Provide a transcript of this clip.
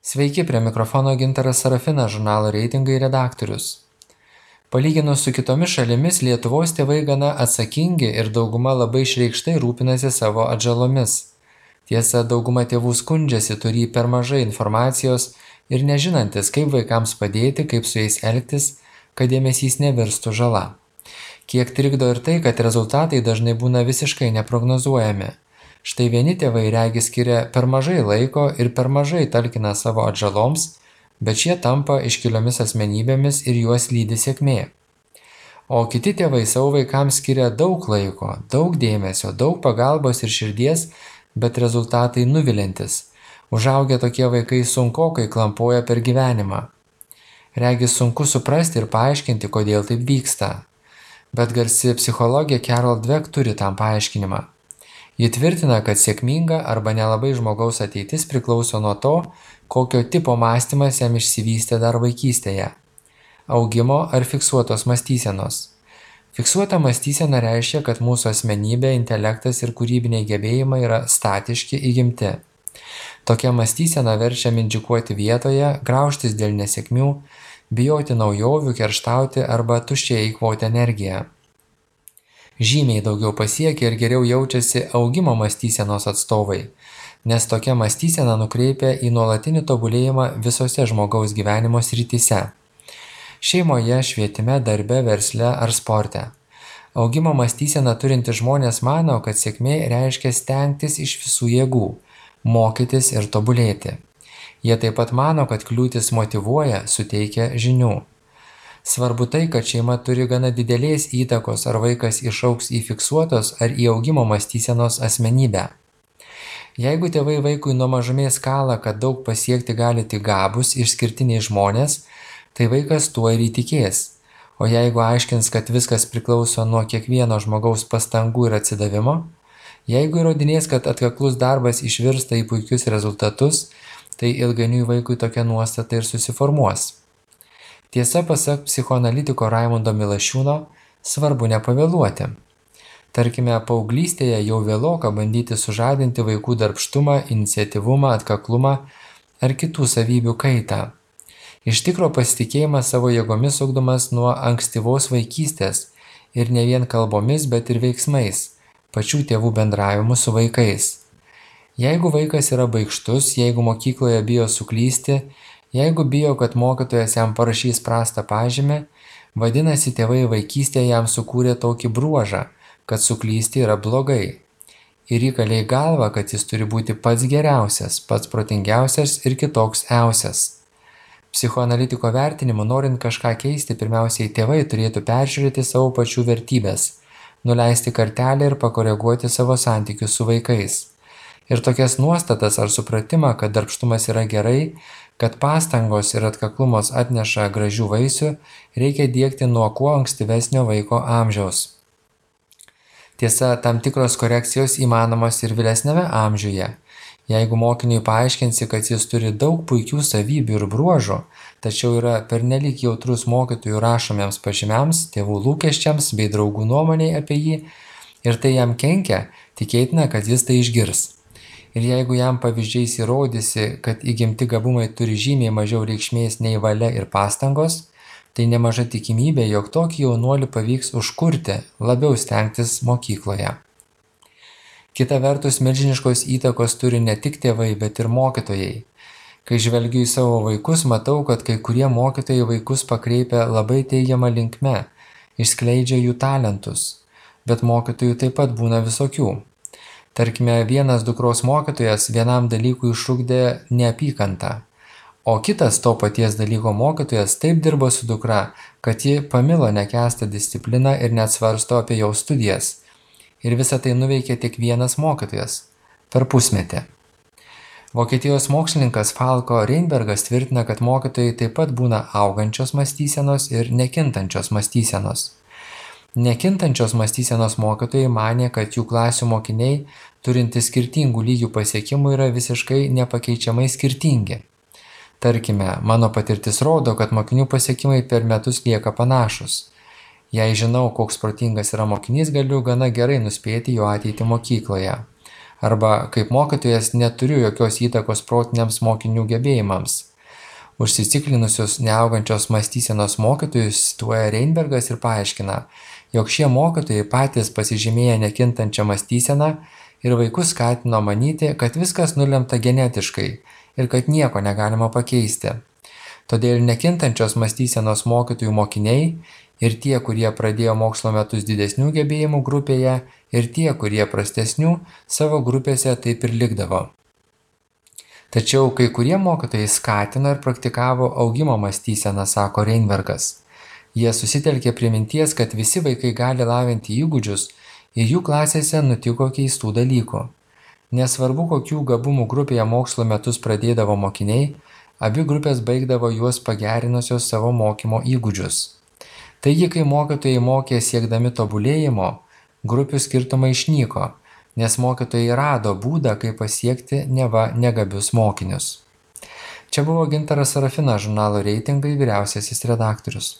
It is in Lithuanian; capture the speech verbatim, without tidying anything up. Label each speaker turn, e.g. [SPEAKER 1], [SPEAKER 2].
[SPEAKER 1] Sveiki, prie mikrofono Gintaras Sarafinas, žurnalo reitingai redaktorius. Palyginus su kitomis šalimis, Lietuvos tėvai gana atsakingi ir dauguma labai išreikštai rūpinasi savo atžalomis. Tiesa, dauguma tėvų skundžiasi, turi per mažai informacijos ir nežinantis, kaip vaikams padėti, kaip su jais elgtis, kad dėmesys nevirstų žala. Kiek trikdo ir tai, kad rezultatai dažnai būna visiškai neprognozuojami. Štai vieni tėvai regi skiria per mažai laiko ir per mažai talkina savo atžaloms, bet šie tampa iškiliomis asmenybėmis ir juos lydi sėkmė. O kiti tėvai savo vaikams skiria daug laiko, daug dėmesio, daug pagalbos ir širdies, bet rezultatai nuviliantis. Užaugę tokie vaikai sunkokai klampoja per gyvenimą. Regis sunku suprasti ir paaiškinti, kodėl taip vyksta. Bet garsi psichologė Carol Dweck turi tam paaiškinimą. Ji tvirtina, kad sėkminga arba nelabai žmogaus ateitis priklauso nuo to, kokio tipo mąstymas jam išsivystė dar vaikystėje – augimo ar fiksuotos mąstysenos. Fiksuota mąstysena reiškia, kad mūsų asmenybė, intelektas ir kūrybiniai gebėjimai yra statiški, įgimti. Tokia mąstysena verčia mindžikuoti vietoje, graužtis dėl nesėkmių, bijoti naujovių, kerštauti arba tuščiai eikvoti energiją. Žymiai daugiau pasiekia ir geriau jaučiasi augimo mąstysenos atstovai, nes tokia mąstysena nukreipia į nuolatinį tobulėjimą visose žmogaus gyvenimo srityse – šeimoje, švietime, darbe, versle ar sporte. Augimo mąstyseną turintys žmonės mano, kad sėkmė reiškia stengtis iš visų jėgų, mokytis ir tobulėti. Jie taip pat mano, kad kliūtis motyvuoja, suteikia žinių. Svarbu tai, kad šeima turi gana didelės įtakos, ar vaikas išaugs į fiksuotos ar į augimo mąstysenos asmenybę. Jeigu tėvai vaikui nuo mažumės kala, kad daug pasiekti gali tik gabūs, išskirtiniai žmonės, tai vaikas tuo ir įtikės. O jeigu aiškins, kad viskas priklauso nuo kiekvieno žmogaus pastangų ir atsidavimo, jeigu įrodinės, kad atkaklus darbas išvirsta į puikius rezultatus, tai ilgainiui vaikui tokia nuostata ir susiformuos. Tiesa, pasak psichoanalitiko Raimundo Milašiūno, svarbu nepavėluoti. Tarkime, paauglystėje jau vėloka bandyti sužadinti vaikų darbštumą, iniciatyvumą, atkaklumą ar kitų savybių kaitą. Iš tikro pasitikėjimas savo jėgomis ugdomas nuo ankstyvos vaikystės ir ne vien kalbomis, bet ir veiksmais, pačių tėvų bendravimu su vaikais. Jeigu vaikas yra baikštus, jeigu mokykloje bijo suklysti, jeigu bijo, kad mokytojas jam parašys prastą pažymį, vadinasi, tėvai vaikystėje jam sukūrė tokį bruožą, kad suklysti yra blogai. Ir įkalė į galvą, kad jis turi būti pats geriausias, pats protingiausias ir kitoks iausias. Psichoanalitiko vertinimu, norint kažką keisti, pirmiausiai tėvai turėtų peržiūrėti savo pačių vertybės, nuleisti kartelę ir pakoreguoti savo santykius su vaikais. Ir tokias nuostatas ar supratimą, kad darbštumas yra gerai, kad pastangos ir atkaklumos atneša gražių vaisių, reikia diegti nuo kuo ankstyvesnio vaiko amžiaus. Tiesa, tam tikros korekcijos įmanomos ir vėlesniame amžiuje. Jeigu mokiniui paaiškinsi, kad jis turi daug puikių savybių ir bruožų, tačiau yra pernelyg jautrus mokytojų rašomiems pažymiams, tėvų lūkesčiams bei draugų nuomoniai apie jį, ir tai jam kenkia, tikėtina, kad jis tai išgirs. Ir jeigu jam pavyzdžiais įrodysi, kad įgimti gabumai turi žymiai mažiau reikšmės nei valia ir pastangos, tai nemaža tikimybė, jog tokį jaunuolį pavyks užkurti, labiau stengtis mokykloje. Kita vertus, milžiniškos įtakos turi ne tik tėvai, bet ir mokytojai. Kai žvelgiu į savo vaikus, matau, kad kai kurie mokytojai vaikus pakreipia labai teigiamą linkme, išskleidžia jų talentus, bet mokytojų taip pat būna visokių. Tarkime, vienas dukros mokytojas vienam dalykui išugdė neapykantą, o kitas to paties dalyko mokytojas taip dirbo su dukra, kad ji pamilo nekęstą discipliną ir net svarsto apie jo studijas. Ir visą tai nuveikė tik vienas mokytojas per pusmetį. Vokietijos mokslininkas Falko Reinbergas tvirtina, kad mokytojai taip pat būna augančios mąstysenos ir nekintančios mąstysenos. Nekintančios mąstysenos mokytojai manė, kad jų klasių mokiniai, turintys skirtingų lygių pasiekimų, yra visiškai nepakeičiamai skirtingi. Tarkime, mano patirtis rodo, kad mokinių pasiekimai per metus lieka panašus. Jei žinau, koks protingas yra mokinys, galiu gana gerai nuspėti jo ateitį mokykloje. arba kaip mokytojas neturiu jokios įtakos protiniams mokinių gebėjimams. Užsiciklinusius neaugančios mąstysenos mokytojus cituoja Reinbergas ir paaiškina, jog šie mokytojai patys pasižymėję nekintančią mąstyseną ir vaikus skatino manyti, kad viskas nulemta genetiškai ir kad nieko negalima pakeisti. Todėl nekintančios mąstysenos mokytojų mokiniai ir tie, kurie pradėjo mokslo metus didesnių gebėjimų grupėje, ir tie, kurie prastesnių, savo grupėse taip ir likdavo. Tačiau kai kurie mokytojai skatino ir praktikavo augimo mąstyseną, sako Reinbergas. Jie susitelkė prie minties, kad visi vaikai gali lavinti įgūdžius ir jų klasėse nutiko keistų dalykų. Nesvarbu, kokių gabumų grupėje mokslo metus pradėdavo mokiniai, abi grupės baigdavo juos pagerinusios savo mokymo įgūdžius. Taigi, kai mokytojai mokė siekdami tobulėjimo, grupių skirtumai išnyko, nes mokytojai rado būdą, kaip pasiekti neva negabius mokinius. Čia buvo Gintaras Sarafinas, žurnalo Reitingai vyriausiasis redaktorius.